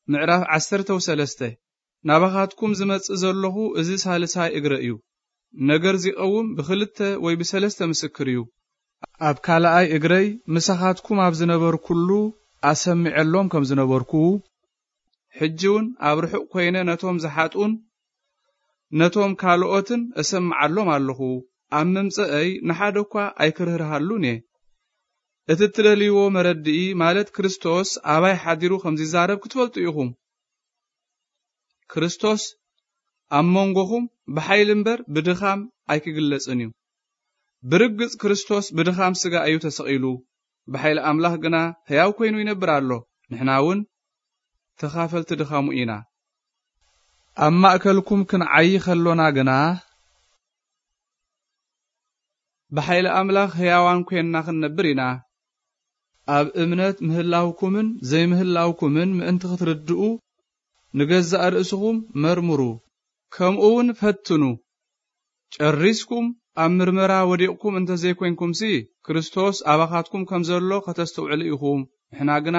ምዕራፍ ዓሰርተ ወሰለስተ። ናባኻትኩም ዝመጽእ ዘለኹ እዚ ሳልሳይ እግረ እዩ። ነገር ዚቐውም ብኽልተ ወይ ብሰለስተ ምስክር እዩ። ኣብ ካልኣይ እግረይ ምሳኻትኩም ኣብ ዝነበርኩሉ ኣሰሚዐሎም ከም ዝነበርኩ፣ ሕጂ እውን ኣብ ርሑቕ ኮይነ ነቶም ዝሓጡን ነቶም ካልኦትን እሰምዓሎም ኣለኹ። ኣብ ምምጸአይ ንሓደ እኳ ኣይክርህርሃሉን እየ። እቲ እትደልይዎ መረድኢ፣ ማለት ክርስቶስ ኣባይ ሓዲሩ ከም ዚዛረብ ክትፈልጡ ኢኹም። ክርስቶስ ኣብ መንጎኹም ብሓይሊ እምበር ብድኻም ኣይክግለጽን እዩ። ብርግጽ ክርስቶስ ብድኻም ስጋ እዩ ተሰቒሉ፣ ብሓይሊ ኣምላኽ ግና ሕያው ኮይኑ ይነብር ኣሎ። ንሕና እውን ተኻፈልቲ ድኻሙ ኢና። ኣብ ማእከልኩም ክንዓዪ ከሎና ግና፣ ብሓይሊ ኣምላኽ ሕያዋን ኮይንና ክንነብር ኢና። ኣብ እምነት ምህላውኩምን ዘይምህላውኩምን ምእንቲ ክትርድኡ፣ ንገዛእ ርእስኹም መርምሩ፣ ከምኡ እውን ፈትኑ። ጨሪስኩም ኣብ ምርመራ ወዲቕኩም እንተ ዘይኮንኩምሲ፣ ክርስቶስ ኣባኻትኩም ከም ዘሎ ከተስተውዕሉ ኢኹም። ንሕና ግና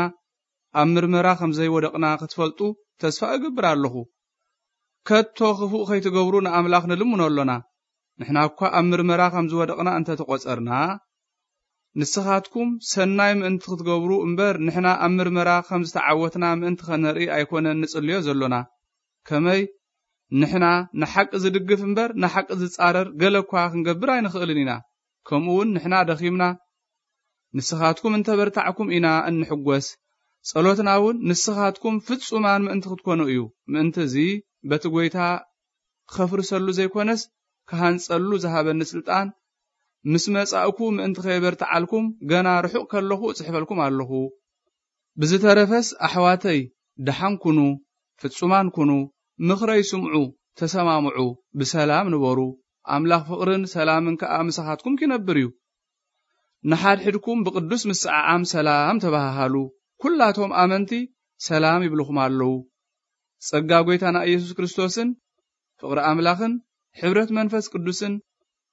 ኣብ ምርመራ ከም ዘይወደቕና ክትፈልጡ ተስፋ እገብር ኣለኹ። ከቶ ክፉእ ከይትገብሩ ንኣምላኽ ንልምኖ ኣሎና። ንሕና እኳ ኣብ ምርመራ ከም ዝወደቕና እንተ ተቖጸርና፣ ንስኻትኩም ሰናይ ምእንቲ ክትገብሩ እምበር፣ ንሕና ኣብ ምርመራ ከም ዝተዓወትና ምእንቲ ኸነርኢ ኣይኮነን ንጽልዮ ዘሎና። ከመይ ንሕና ንሓቂ ዝድግፍ እምበር፣ ንሓቂ ዝጻረር ገለ እኳ ክንገብር ኣይንኽእልን ኢና። ከምኡ እውን ንሕና ደኺምና፣ ንስኻትኩም እንተ በርታዕኩም ኢና እንሕጎስ። ጸሎትና እውን ንስኻትኩም ፍጹማን ምእንቲ ክትኮኑ እዩ። ምእንቲ እዚ በቲ ጐይታ ኸፍርሰሉ ዘይኮነስ፣ ክሃንጸሉ ዝሃበኒ ስልጣን፣ ምስ መጻእኩ ምእንቲ ከየበርትዓልኩም፣ ገና ርሑቕ ከለኹ እጽሕፈልኩም ኣለኹ። ብዝተረፈስ ኣሕዋተይ፣ ደሓን ኩኑ፣ ፍጹማን ኩኑ፣ ምኽረይ ስምዑ፣ ተሰማምዑ፣ ብሰላም ንበሩ። ኣምላኽ ፍቕርን ሰላምን ከኣ ምሳኻትኩም ኪነብር እዩ። ንሓድሕድኩም ብቕዱስ ምስዓዓም ሰላም ተባሃሃሉ። ኩላቶም ኣመንቲ ሰላም ይብልኹም ኣለዉ። ጸጋ ጐይታና ኢየሱስ ክርስቶስን ፍቕሪ ኣምላኽን ሕብረት መንፈስ ቅዱስን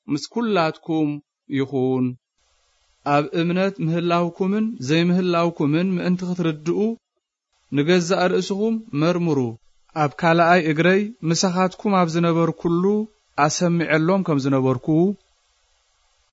ምስ ኩላትኩም ይኹን። ኣብ እምነት ምህላውኩምን ዘይምህላውኩምን ምእንቲ ክትርድኡ፣ ንገዛእ ርእስኹም መርምሩ። ኣብ ካልኣይ እግረይ ምሳኻትኩም ኣብ ዝነበርኩሉ ኣሰሚዐሎም ከም ዝነበርኩ፣